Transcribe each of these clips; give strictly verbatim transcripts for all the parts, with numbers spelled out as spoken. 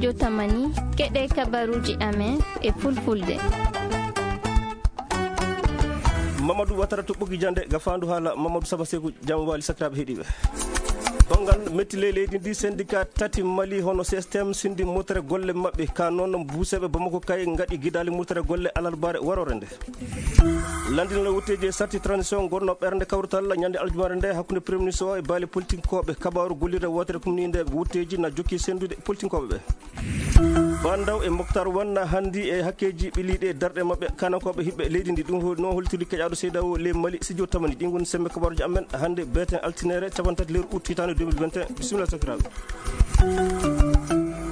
Jotamani, keɗe kabaruuji amen e fulfulde. Mamadou Watara to Ɓogi Jande, ga faandu haala Mamadou Saba Seku, jam waali sakiraaɓe heɗiiɓe. Banngal metti ley leydi ndi, syndicat tati Mali hono C S T M sindi murtere golle maɓɓe, ka noon buuseeɓe Bamako kay ngaɗi gidaali murtere golle alarbaare waroore nde. Lanndinal wutteeji e sarti transition ngonno ɓernde kawrital ñande aljumaare nde hakkunde Premier Ministre o e baali politinkooɓe. Kabaaru gollirde wootere kumniinde wutteeji na jokki senndude politinkooɓe ɓe. Bandaw e Moktar Wan na hanndi e hakkeeji ɓiliiɗi e darɗe maɓɓe, kanankooɓe hiɓɓe leydi ndi. Ɗum ho-, no hollitirde keƴaaɗo seyda o ley Mali, Sidio Tamani. Ɗin ngoni semme kabaaruji amen hannde beeten altinere cappanɗe tati lewru août hitaande deux mille vingt et un. Bisimilla sakiraaɓe.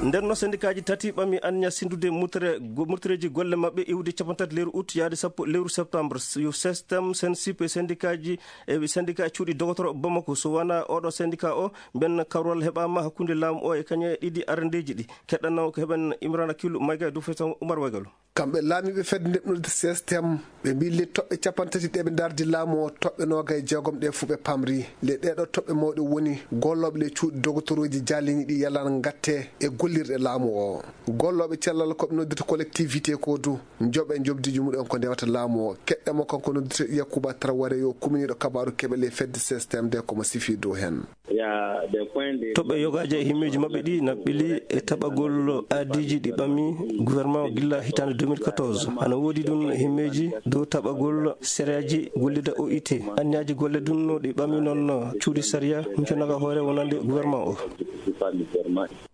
Nden no sendikaaji tati ɓami anniya sindude murtere, go-, murtereeji golle maɓɓe iwde cappanɗe tati lewru août yaade sappo lewru septembre. Yo système sensip e sendikaaji e sendika cuuɗi dogotoro Bamako. So wona oɗo sendika o, mben kawral heɓaama hakkunde laamu o e kañe ɗiɗi arandeeji ɗi. Keɗɗanno ko heɓen Imrana Kilu Mayga e Dufesan Umar Waygalu. Kamɓe laamiiɓe fedde ndeɓnorde C S T M, ɓe mbii le toɓɓe cappanɗe tati ɗe ɓe ndardi laamu o, toɓɓe noogay jeegom ɗe fuu ɓe pamri. Le ɗeɗo toɓɓe mawɗe woni gollooɓe le cuuɗi dogotoroji jaalini ɗi yalan ngatte e gollirɗe laamu o. Gollooɓe cellal ko ɓe noddirta collectivité ko du, njoɓe njoɓdiiji muɗen ko ndewata laamu o. Keɗɗe mo kanko noddirta Yakuba Traoré yo kuminiiɗo kabaaru keɓe le fedde C S T M nde ko mo sifi dow hen. Toɓɓe yogaaji e himmeeji maɓɓe ɗi na ɓili e taɓagol aadiiji ɗi ɓami gouvernement o gilla hitaande deux mille quatorze. Ana woodi ɗum himmeeji dow taɓagol sereyaaji gollida O I T. Anniyaaji golle ɗum no ɗi ɓami noon cuuɗi sariya hunconaga hoore wonande gouvernement o.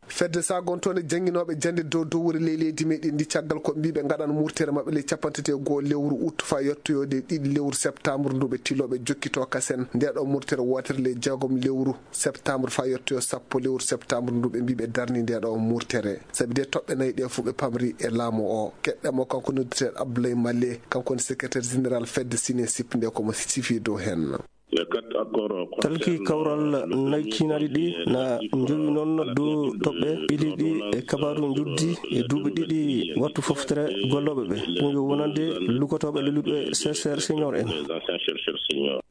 Fedde sagontoonde jannginooɓe jannde dow dowri ley leydi meɗen ndi caggal ko mbiiɓe ngaɗan murtere maɓɓe ley cappanɗe tati e go'o lewru août faa yettoyoode ɗiɗi lewru septembre ndu ɓe tilooɓe jokkitoo kasen nde ɗo murtere wootere ley jeegom lewru septembre faa yettoyo sappo lewru septembre ndu ɓe mbii ɓe darni nde ɗo murtere. Sabi de toɓɓe nayi ɗe fof ɓe pamri e laamu o. Keɗɗe mo kanko noddirteeɗo Abdoulaye Male, kanko woni secrétaire général fedde Sine Sip nde ko mo sifi dow hen. Talki kawral nayi kiinaɗi ɗi na njowi noon dow toɓɓe ɓiliɗi e kabaaru njuddi e duuɓi ɗiɗi wattu foftere gollooɓe ɓe. Ɗum yo wonande lugotooɓe lelluɓe C S R senior en.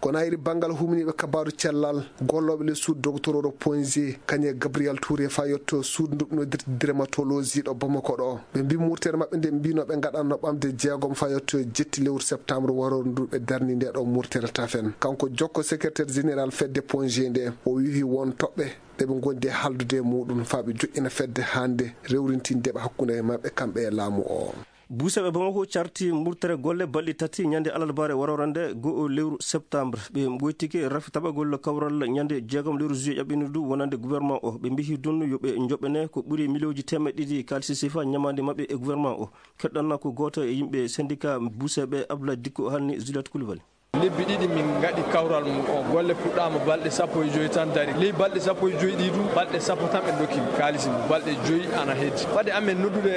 Kono ayri banngal humniiɓe kabaaru cellal, gollooɓe le suudu dogotorooro Ponge, kañe Gabriel Touré faa yetto suudu nduɓnodirde dermatologie ɗo Bamako ɗo. Ɓe mbii murtere maɓɓe nde mbinoo ɓe ngaɗanno ɓamde jeegom faa yetto jetti lewru septembre waroore ndu ɓe darni nde ɗo murtere tafen. Kanko jokko secrétaire général fedde Ponge nde, o wihi won toɓɓe ɗe ɓe ngondi e haaldude e muɗum faa ɓe joƴƴina fedde hannde rewrintindeɓe hakkunde e maɓɓe kamɓe e laamu o. Buuseeɓe Bamako carti murtere golle balɗe tati ñande alarbaare waroore nde go'o lewru septembre. Ɓe ngoytike rafi taɓagol kawral ñande jeegom lewru juillet ƴaɓɓiindu ndu wonande gouvernement o. Ɓe mbihi ɗum yo ɓe njoɓɓene ko ɓuri miliyooji teemeɗɗe ɗiɗi kaalisi sifa ñamaande maɓɓe e gouvernement o. Keɗɗanno ko gooto e yimɓe syndicat buuseeɓe Abdoulaye Dikko haalni Juliette Coulibaly. Lebbi ɗiɗi min ngaɗi kawral mum o. Golle puɗɗaama balɗe sappo e joy tan dari. Ley balɗe sappo e joy ɗi ɗum, balɗe sappo tan ɓe ndokki min kaalisi mum. Balɗe joy ana heddi. Waɗi amen noddude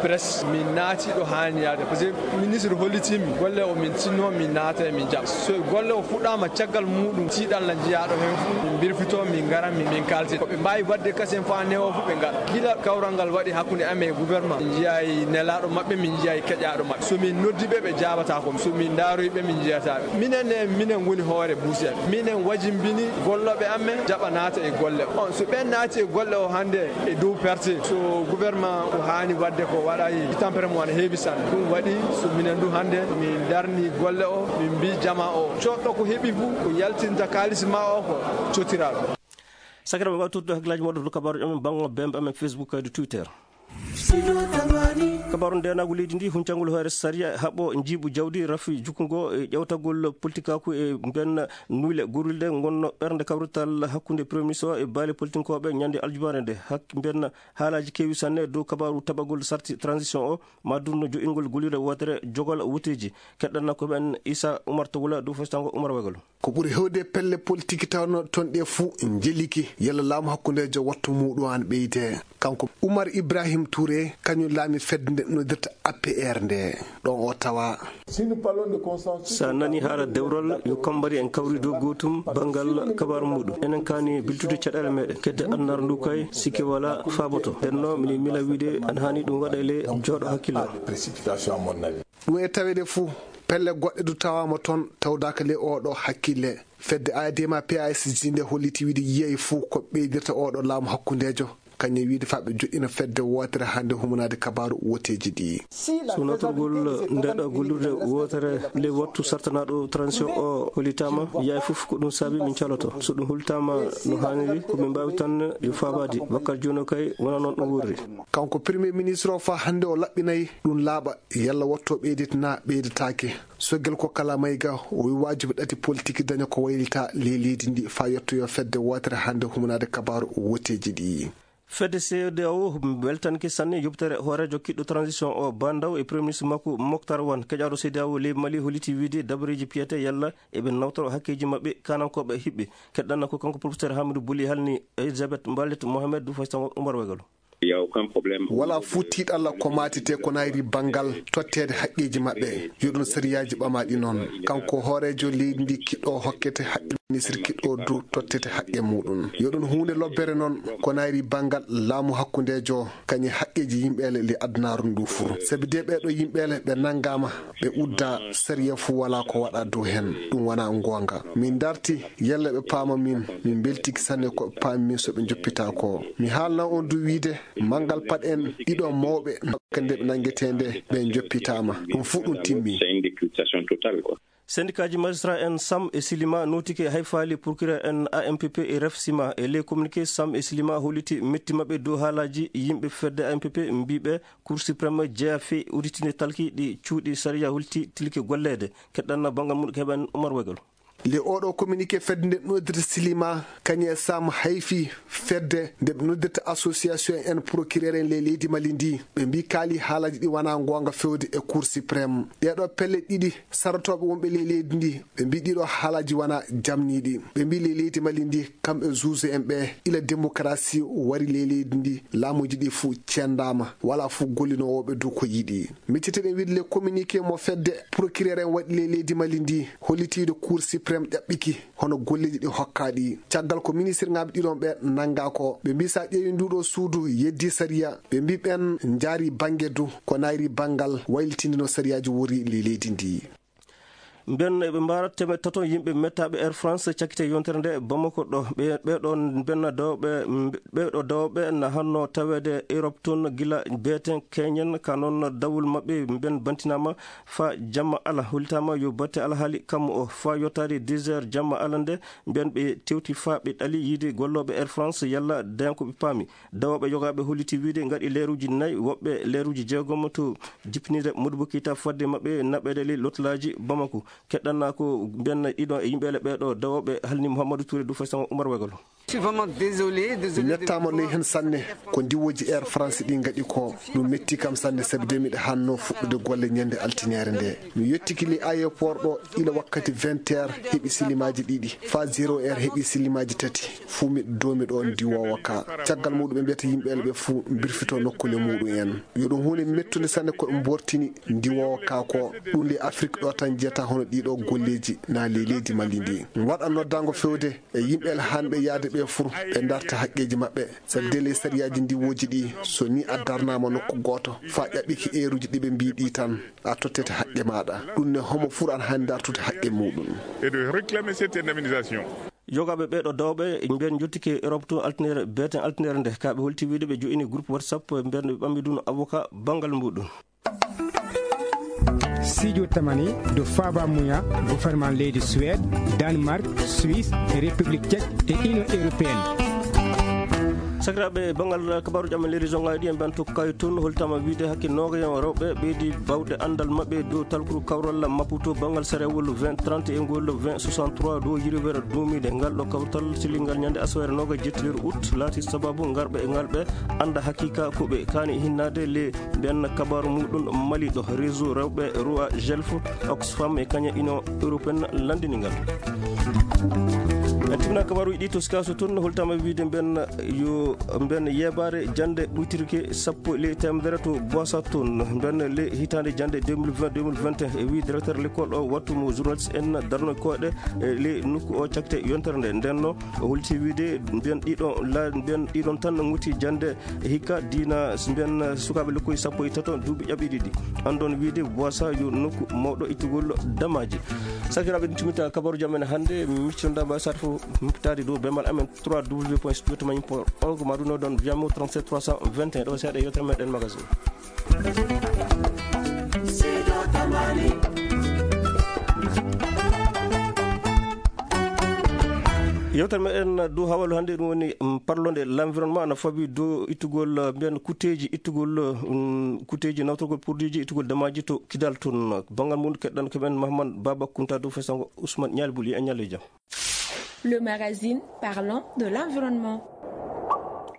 presse, min naati ɗo haani yaade. Parce que ministre hollitii min golle o, min tinno, min naata e min jaɓa. So golle o fuɗɗaama caggal muɗum, tiiɗal na jiyaaɗo heen fof. Min mbirfito, min ngara, min, min kaalti. Ko ɓe mbaawi waɗde kasen faa newo fof ɓe ngaɗa. Gila kawral ngal waɗi hakkunde amen e gouvernement, min njiyaay nelaaɗo maɓɓe, min njiyaay keƴaaɗo maɓɓe. So min noddi ɓe, ɓe jaabataa ko. So min ndaaroyi ɓe, min njiyataa ɓe. Minen ne, minen ngoni hoore buusiyaɓe. Minen wajimbini gollooɓe amen jaɓa naata e golle. On, so ɓeen naati e golle o hannde e dow perte, so gouvernement ko haani waɗde ko waɗaay, tampere mum ana heewi sanne. Ɗum waɗi so minen du hannde min darni golle o, min mbii jama o, coɗɗo ko heɓi fof, ko yaltinta kaalis ma o, ko cottiraa ɗum. Sakiraaɓe, ɓe mbawi tottude hakkillaaji moɗon to kabaaruji amen banngal bembe amen Facebook kadi Twitter. Kabaaru ndeenaagu leydi ndi, huncangol hoore sariya, haɓo njiiɓu jawdi, rafi jukkungo e ƴewtagol politikaaku e mben nuyle gorilde ngonno ɓernde kawrital hakkunde Premier Ministre o e baali politinkooɓe ñande aljumaare nde. Hak-, mben haalaaji keewi sanne dow kabaaru taɓagol sarti transition o, ma dunno jo'ingol golire wootere jogol woteeji. Keɗɗanno ko ɓen Issa Oumar Tawla dow festango Oumar Wagalo. Ko ɓuri heewde pelle politiki tawnoo toon ɗe fuu njeliki, yalla laamu hakkundeejo wattu muuɗum aan ɓeyde. Kanko Oumar Ibrahim Touré, kañum laami fedde nde noddirta A P R nde. Ɗon o tawa. Si a nani haala dewral, yo kambari en kawri dow gootum banngal kabaaru muuɗum. Enen kaani biltude caɗeele meɗen. Kedde annar ndu kay, sikke wala faaboto. Nden no, miɗo mila wiide, ana haani ɗum waɗa ele jooɗo hakkille. Ɗum e taweede fuu, pelle goɗɗe du tawaama toon, tawdaaka ley oo ɗoo hakkille. Fedde A D M A P A S J nde holliti wiide yiyay fuu ko ɓeydirta oo ɗoo laamu hakkundeejo. kañum wiide faa ɓe joɗɗina fedde wootere hannde humanaade kabaaru woteeji ɗi. So nootorgol nde ɗo gollirde wootere ley wattu sartanaaɗo transition o hollitaama, yaay fof ko ɗum saabi min caloto. So ɗum hollitaama no haaniri, ko min mbaawi tan yo faabaade. Bakkar Jono kay wonaa noon ɗum wuurri. Kanko Premier Ministre o faa hannde o laɓɓinay ɗum laaɓa yalla wattu o ɓeydita naa ɓeydataake. Sogel ko kala mayga o wi waajibi ɗati politique daña ko waylita ley leydi ndi faa yettoyo fedde wootere hannde humanaade kabaaru woteeji ɗi. Fedde C E D E A O weltanke sanne yubtere hooreejo kiɗɗo transition o Ba Ndaw e Premier Ministre makko Moctar Wan. Keƴaaɗo C E D E A O leydi Mali holliti wiide dabareeji piyete yalla eɓe nawtoro hakkeeji maɓɓe kanankooɓe hiɓɓe. Keɗɗanna ko kanko professeur Hamidou Bouli halni Elisabeth Mbalet Mohamed du Faysal Oumar Wegalo. Walaa fuu tiiɗalla ko maatete ko nayri banngal totteede haqqeeji maɓɓe. Yo ɗum sariyaaji ɓamaaɗi noon. Kanko hooreejo leydi ndi kiɗɗo hokkete haqqe ministre kiɗɗo du tottete haqqe muuɗum. Yo ɗum huunde lobbere noon ko nayri banngal laamu hakkundeejo kañum haqqeeji yimɓeele le adunaaru ndu fuu. Sabi de ɓeeɗo yimɓeele ɓe nanngaama ɓe udda sariya fuu walaa ko waɗa dow heen. Ɗum wonaa ngoonga. Min darti yalla ɓe paama min. Min mbeltiki sanne ko ɓe paami min so ɓe njoppita ko. Mi haalna on du wiide manngal paɗ en ɗiɗo mawɓe nde ɓe nanngetee nde ɓe njoppitaama. Ɗum fuu ɗum timmi. Sendikaaji magistrat en Sam e Silima nootike hay faali procureur en A M P P e Ref Sima. E ley communiqué Sam e Silima holliti metti maɓɓe dow haalaaji yimɓe fedde A M P P mbiiɓe Cour suprême jeya fii uditinde talki ɗi cuuɗi sariya holti tilke golleede. Keɗɗanna banngal mum ko heɓen Oumar Wegel. Le oɗo communiqué fedde nde noddirta Silima kañum e Sam hayfi fedde nde ɓe noddirta association en procureur en ley leydi Mali ndi. Ɓe mbi kaali haalaaji ɗi wonaa ngoonga fewde e Cour suprême. Ɗeeɗo pelle ɗiɗi sarotooɓe wonɓe ley leydi ndi ɓe mbi ɗiɗo haalaaji wonaa jamniiɗi. Ɓe mbi ley leydi Mali ndi kamɓe juge en ɓe ila démocratie wari ley leydi ndi laamuuji ɗi fuu cendaama walaa fuu gollinoowo ɓe dow ko yiɗi. Miccete ɗen wiide le communiqué mo fedde procureur en waɗi ley leydi Mali ndi hollitiiɗo Cour suprême ƴaɓɓiki hono golleeji ɗi hokkaaɗi. Caggal ko ministre ŋaaɓe ɗiɗon ɓe nanngaa ko ɓe mbi so a ƴeewi nduuɗo suudu yeddi sariya ɓe mbi ɓen njaari bannge du ko nayri banngal waylitindino sariyaaji wori ley leydi ndi. Mben eɓe mbaara teemeɗɗe tato yimɓe mettaaɓe Air France cakkite yontere nde Bamako ɗo. Ɓe, ɓeeɗo mbenna dawɓe, ɓeeɗo dawɓe na hanno taweede Europe toon gila beeten keñen ka noon dawol maɓɓe mben bantinaama faa jamma ala. Hollitaama yo batte alhaali kammu o faa yottaade dix heures jamma ala nde mben ɓe tewti faa ɓe ɗali yiide gollooɓe Air France yalla daña ko ɓe paami. Dawooɓe yogaaɓe holliti wiide ngaɗi leeruuji nayi, woɓɓe leeruuji jeegom to jippinirde Modibbo Keita fodde maɓɓe naɓeede ley lotolaaji Bamako. Keɗɗanna ko mbenna ɗiɗo e yimɓeele ɓeeɗo dawooɓe halni Mouhamadou Touré du Faysal Oumar Wegol. Mi mettaama ley heen sanne ko ndiwooji Air France ɗi ngaɗi ko. Ɗum metti kam sanne sabi de miɗo hanno fuɗɗude golle ñande altineere nde. Mi yettiki ley aéroport ɗo ila wakkati vingt heures heɓi silimaaji ɗiɗi faa zéro heure heɓi silimaaji tati. Fuu miɗo doomi ɗo ndiwoowo ka. Caggal muuɗum ɓe mbiyata yimɓeele ɓe fuu mbirfito nokkuule muuɗum en. Yo ɗum huunde mettunde sanne ko ɓe mbortini ndiwoowo ka ko. Ɗum ley Afrik ɗo tan jeyata hono ɗiɗo golleeji na ley leydi Mali ndi. Waɗa noddaango fewde e yimɓeele hanɓe yahde ɓe fuu ɓe ndarta haqqeeji maɓɓe. Sabi de ley sariyaaji ndiwooji ɗi so ni a darnaama nokku gooto faa ƴaɓɓiki eeruuji ɗi ɓe mbii ɗi tan a tottete haqqe maaɗa. Ɗum ne homo fuu ana haani dartude haqqe muuɗum. Et de réclamer cette indemnisation. Yogaaɓe ɓeeɗo dawɓe mbiyen njottike Europe to altinere beeten altinere nde ka ɓe holti wiide ɓe jo'ini groupe WhatsApp mbiyen ɓe ɓammi ɗum avocat banngal muuɗum. Sijo tamani do faaba muya gouvernement leydi Suède, Danemark, Suisse, République Tchèque et Union Européenne. Sakiraaɓe, banngal kabaaruuji amen leydi zongaaji ɗi en mbiyan to kay toon holtama wiide hakke noogayen rewɓe ɓeydi bawde anndal maɓɓe dow talkuru kawral Maputo banngal sarewol vingt trente e ngol vingt soixante-trois dow yirwere duumiinde. Ngal ɗo kawtal silingal ñande asawere noogaji jetti lewru août laati sababu ngarɓe e ngal ɓe annda haqiqa ko ɓe kaani hinnaade le mbiyan kabaaru muuɗum Mali ɗo réseau rewɓe Roi Gelf Oxfam e kaña Union Européenne lanndini ngal. En timna kabaaruuji ɗi to Sikaso toon holtama wiide mbiyan yo mbiyan yeebaare jannde ɓuytirke sappo ley teemedere to Boisa toon mbiyan le hitaande jannde deux mille vingt deux mille vingt et un e wi directeur l'école o wattu mo journaliste en darno koɗe e ley nokku o cakte yontere nde ndenno o holti wiide mbiyan ɗiɗo la mbiyan ɗiɗon tan nguti jannde hikka diina mbiyan sukaaɓe lekkoy sappo e tato duuɓi ƴaɓɓi ɗiɗi. Anndon wiide Boisa yo nokku mawɗo ittugol damaaji. Sakiraaɓe, ɗum timmitta kabaruuji amen hannde. Miccitonɗaa mbaawi saato fof humpitaade dow bemal amen trois w point studio tamani point org, ma ɗum noddon Viamo trente-sept trois cent vingt et un. Ɗo seeɗa yewtere meɗen magazine. Yewtere meɗen dow hawalu hannde, ɗum woni, mm, parlonde l'environnement, ana fawi dow ittugol, uh, mbiyen kutteeji ittugol, uh, mm, kutteeji nawtorgol produit ji ittugol damaaji to Kidal toon. Banngal mum keɗɗan ko men Mahamad Baba Kunta dow fesango Ousmane Ñaali Buli. E ñalle jam. Le magazine parlant de l'environnement.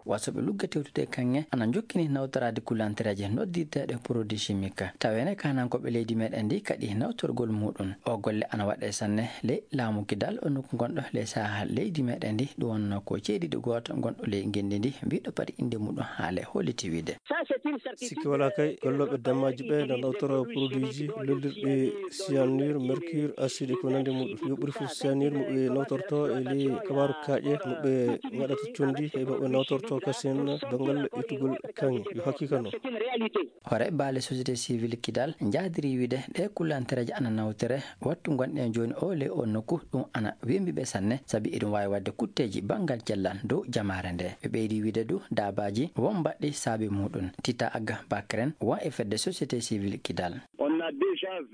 Wasooɓe lugge tewtude e kaŋŋe ana njokkini nawtoraade kulantereeje noddirteeɗe produit chimique. Taweene kaanankooɓe leydi meɗen ndi kaɗi nawtorgol muɗum. O golle ana waɗe sanne ley laamu Kidal, o nokku gonɗo ley saha leydi meɗen ndi, ɗum wonno ko ceediiɗo gooto gonɗo ley ngenndi ndi, mbiɗo pati innde muɗum haale holliti wiide. Sikke walaa kay, gollooɓe damaaji ɓe no nawtora produit ji lollirɗi cyanure, mercure, acide e ko nanndi muɗum. Yo ɓuri fof cyanure mo ɓe nawtorto e ley kabaaru kaaƴe mo ɓe ngaɗata conndi, e mo ɓe nawtorto kasen banngal ittugol kaŋŋe. Yo hakkika noon. Hoore baale société civile Kidal njahdiri wiide ɗe kulantereeje ana nawtore wattu gonɗen jooni o ley o nokku, ɗum ana wembi ɓe sanne, sabi eɗum waawi waɗde kutteeji banngal cellal dow jamaare nde. Ɓe ɓeydi wiide du daabaaji won mbaɗɗi saabi muɗum. Tita Agga Bakren won e fedde société civile Kidal.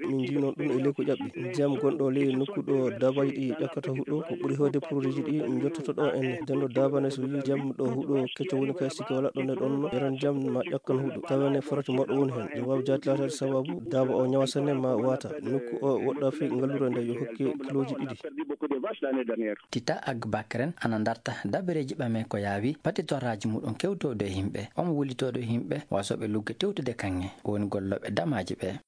Min njii noon ɗum e ley ko ƴaɓɓi. Ndiyam gonɗo ley nokku ɗo daabaaji ɗi ƴakkata huɗo, ko ɓuri heewde produit ji ɗi njottoto ɗo en. Nden ɗo daabaa ne so yii ndiyam ɗo huɗo kecco woni kay, sikke walaa ɗon e ɗon yaran ndiyam ma ƴakkan huɗo. Tawa ne farati mawɗo woni heen. Ɗum waawi jaati laataade sababu daabaa o ñawa sanne ma waata. Nokku o woɗɗaa fii ngallure nde yo hokke kilooji ɗiɗi. Tita Agga Bakren ana ndarta dabareeji ɓame ko yaawi patitoraaji muɗum kewtooɗo e yimɓe. Omo wullitooɗo yimɓe wasooɓe lugge tewtude kaŋŋe, woni gollooɓe damaaji ɓe.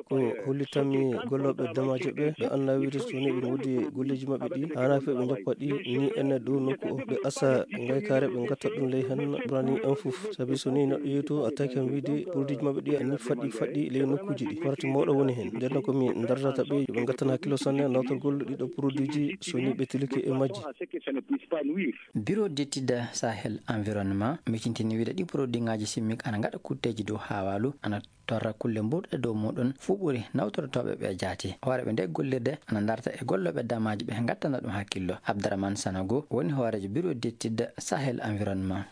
Ko hollitanmi gollooɓe damaaji ɓe, ɓe anndaa wiide so ni ɓe ngoodi golleeji maɓɓe ɗi, haanaa fii ɓe njoppa ɗi, ni ene dow nokku o, ɓe asa ngaykaare, ɓe ngatta ɗum ley heen, ɓurani en fof. Sabi so ni neɗɗo yehi to, a taki kam wiide produit ji maɓɓe ɗi, a ni faɗɗi, faɗɗi ley nokkuuji ɗi. Farati mawɗo woni heen. Nden noon ko mi ndartata ɓe, yo ɓe ngattan hakkilo sanne, nawtorgol ɗiɗo produit ji, so ni ɓe tilike e majji. Bureau d'étude Sahel Environnement micintini wiide ɗi produit ŋaaji chimique ana ngaɗa kutteeji dow haawaalu, ana torra kulle mburɗe dow muɗum, fuu ɓuri nawtortooɓe ɓe jaati. Hooreeɓe nde gollirde ana ndarta e gollooɓe damaaji ɓe ngattana ɗum hakkillo. Abdourahmane Sanogo woni hooreejo Bureau d'étude Sahel Environnement.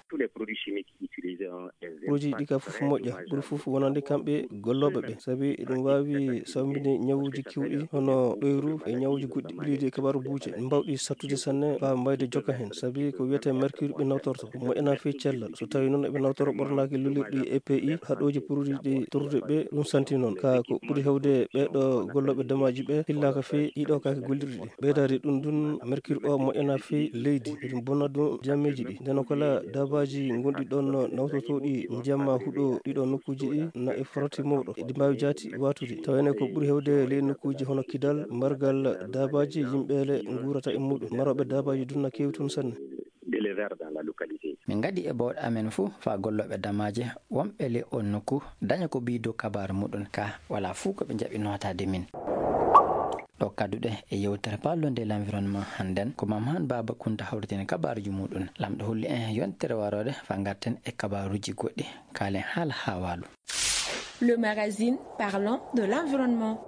Produit ɗi ka fof moƴƴa, ɓuri fof wonande kamɓe gollooɓe ɓe, sabi eɗum waawi sawmbinde ñawuuji keewɗi hono ɗoyru e ñawuuji goɗɗi ɓileeji e kabaaru buuje, mbawɗi sattude sanne, faa mbayde jokka heen, sabi ko wiyetee mercure ɓe nawtorto, ko moƴƴanaa fii cellal. So tawii noon eɓe nawtora ɓornaaki lullirɗi E P I, haɗooji produit ɗi torrude ɓe, ɗum santi noon. Ka ko ɓuri heewde ɓeeɗo gollooɓe damaaji ɓe hillaaka fii ɗiɗo kaake gollirɗi ɗi. Ɓeydaade ɗum ɗum, mercure o moƴƴanaa fii leydi, eɗum bona ɗum ndiyammeeji ɗi. Nden o kala daabaaji gonɗi ɗoon nawtotooɗi ndiyam maa huɗo ɗiɗo nokkuuji ɗi, na e farati mawɗo. Eɗi mbaawi jaati waatude. Tawa ene ko ɓuri heewde ley nokkuuji hono Kidal, mbargal daabaaji yimɓe le nguurata e muɗum. Marooɓe daabaaji ɗum na keewi toon sanne. D'éleveurs dans la localité. Min ngaɗi e bawɗe amen fof faa gollooɓe damaaje wonɓe ley oon nokku daña ko ɓiydo kabaaru muɗum ka walaa fof ko ɓe njaɓi nootaade min. Ɗo kadduɗe e yewtere parlonde l'environnement hannden ko Mamadou Baba Kounta hawritini kabaaruuji muɗum. Laamɗo holli en yontere warooɗe faa ngarten e kabaaruuji goɗɗi. Kaalen haala haawaalu. Le magazine parlant de l'environnement.